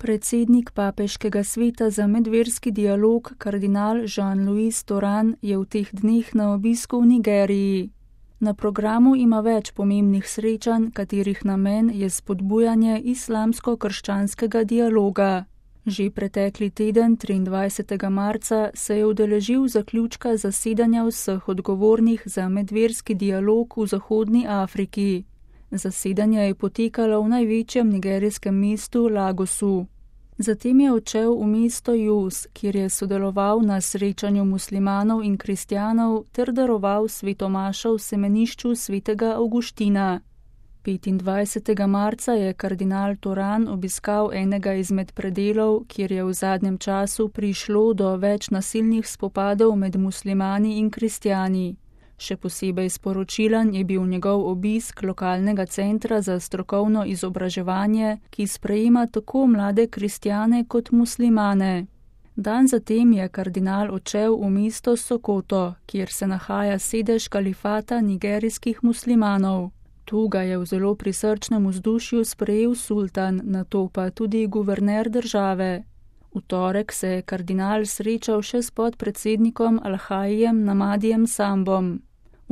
Predsednik Papeškega sveta za medverski dialog kardinal Jean-Louis Toran je v teh dneh na obisku v Nigeriji. Na programu ima več pomembnih srečanj, katerih namen je spodbujanje islamsko-krščanskega dialoga. Že pretekli teden, 23. marca, se je udeležil zaključka zasedanja vseh odgovornih za medverski dialog v Zahodni Afriki. Zasedanje je potekalo v največjem nigerijskem mestu Lagosu. Zatem je odšel v mesto Jos, kjer je sodeloval na srečanju muslimanov in kristjanov ter daroval svetomašo v semenišču svetega Avguština. 25. marca je kardinal Toran obiskal enega izmed predelov, kjer je v zadnjem času prišlo do več nasilnih spopadov med muslimani in kristjani. Še posebej sporočilen je bil njegov obisk lokalnega centra za strokovno izobraževanje, ki sprejema tako mlade kristjane kot muslimane. Dan zatem je kardinal odšel v mesto Sokoto, kjer se nahaja sedež kalifata nigerijskih muslimanov. Tu ga je v zelo prisrčnem vzdušju sprejel sultan, nato pa tudi guverner države. V torek se je kardinal srečal še s podpredsednikom Alhajijem Namadijem Sambom.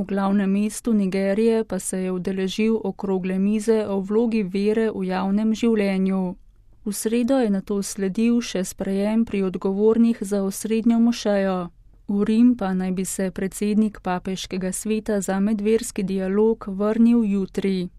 V glavnem mestu Nigerije pa se je udeležil okrogle mize o vlogi vere v javnem življenju. V sredo je nato sledil še sprejem pri odgovornih za osrednjo mošejo. V Rim pa naj bi se predsednik Papeškega sveta za medverski dialog vrnil jutri.